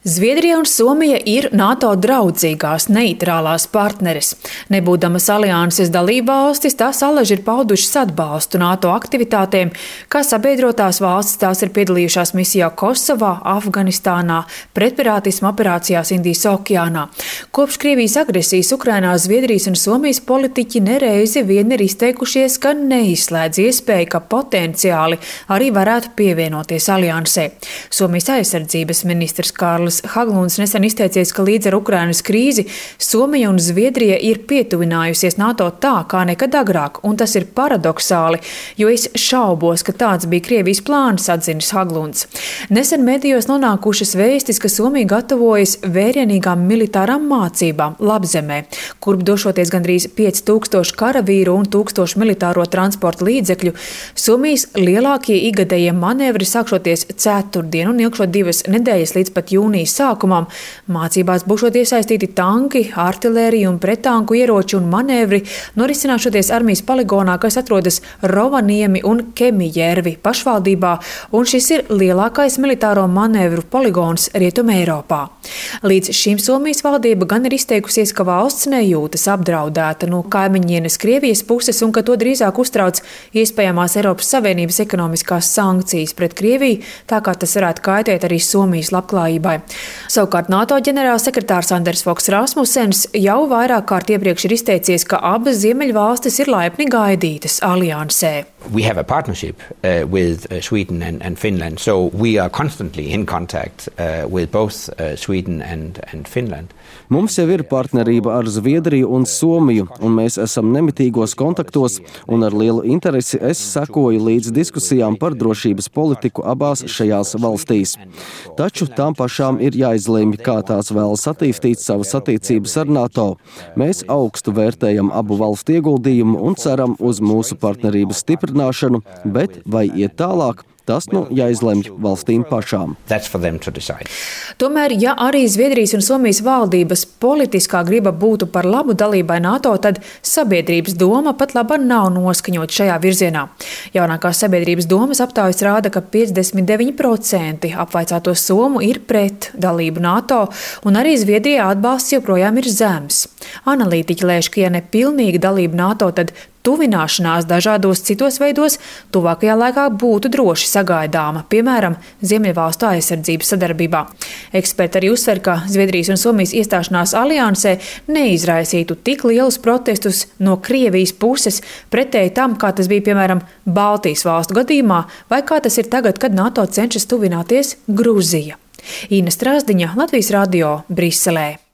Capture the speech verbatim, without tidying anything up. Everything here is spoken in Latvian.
Zviedrija un Somija ir NATO draudzīgās, neitrālās partneres. Nebūdamas alianses dalībvalstis, tās alaži ir paudušas atbalstu NATO aktivitātēm, kā sabiedrotās valstis tās ir piedalījušās misijā Kosovā, Afganistānā, pretpirātisma operācijās Indijas okeānā. Kopš Krievijas agresijas Ukrainā Zviedrijas un Somijas politiķi nereizi vien ir izteikušies, ka neizslēdz iespēju, ka potenciāli arī varētu pievienoties aliansē. Somijas aizsardzības ministrs Kārlis Haglunds nesen izteicies, ka līdz ar Ukrainas krīzi Somija un Zviedrija ir pietuvinājusies NATO tā, kā nekad agrāk, un tas ir paradoxāli, jo es šaubos, ka tāds bija Krievijas plāns, atzinis Haglunds. Nesen medijos nonākušas vēstis, ka Somija gatavojas vērienīgām militārām mācībām Labzemē, kurp došoties gandrīz pieci tūkstoši karavīru un tūkstoši militāro transporta līdzekļu. Somijas lielākie igadējie manevri sākšoties ceturtdien un ilgšot divas nedēļas līdz pat jūnijas sākumam. Mācībās būšot iesaistīti tanki, artilērija un prettanku ieroči un manevri, norisināšoties armijas poligonā, kas atrodas Rovaniemi un Kemijērvi pašvaldībā, un šis ir lielākais militāro manevru poligons Rietumē Eiropā. Līdz šim Somijas valdība gan ir izteikusies, ka valsts nejūtas apdraudēta no kaimiņienes Krievijas puses un ka to drīzāk uztrauc iespējamās Eiropas Savienības ekonomiskās sankcijas pret Krieviju, tā kā tas varētu kaitēt arī Somijas labklājībai. Savukārt NATO ģenerālsekretārs Anders Fogh Rasmussens jau vairāk kārt iepriekš ir izteicies, ka abas ziemeļvalstis ir laipni gaidītas aliansē. We have a partnership uh, with uh, Sweden and, and Finland, so we are constantly in contact uh, with both uh, Sweden and, and Finland. Mums jau ir partnerība ar Zviedriju un Somiju, un mēs esam nemitīgos kontaktos, un ar lielu interesi es sekoju līdz diskusijām par drošības politiku abās šajās valstīs. Taču tām pašām ir jāizlemj, kā tās vēlas attīstīt savas attiecības ar NATO. Mēs augstu vērtējam abu valstu ieguldījumu un ceram uz mūsu partnerības stiprināšanu, bet vai iet tālāk? Tas nu jāizlemj valstīm pašām. Tomēr, ja arī Zviedrijas un Somijas valdības politiskā griba būtu par labu dalībai NATO, tad sabiedrības doma pat laba nav noskaņot šajā virzienā. Jaunākās sabiedrības domas aptaujas rāda, ka piecdesmit deviņi procenti apvaicāto somu ir pret dalību NATO, un arī Zviedrijā atbalsts joprojām ir zems. Analītiķi lēš, ka ja ne pilnīga dalība NATO, tad tuvināšanās dažādos citos veidos tuvākajā laikā būtu droši sagaidāma, piemēram, Ziemeļvalstu aizsardzības sadarbībā. Eksperti arī uzsver, ka Zviedrijas un Somijas iestāšanās aliansē neizraisītu tik lielus protestus no Krievijas puses pretēji tam, kā tas bija, piemēram, Baltijas valstu gadījumā, vai kā tas ir tagad, kad NATO cenšas tuvināties Gruzija. Ina Strasdiņa, Latvijas radio, Briselē.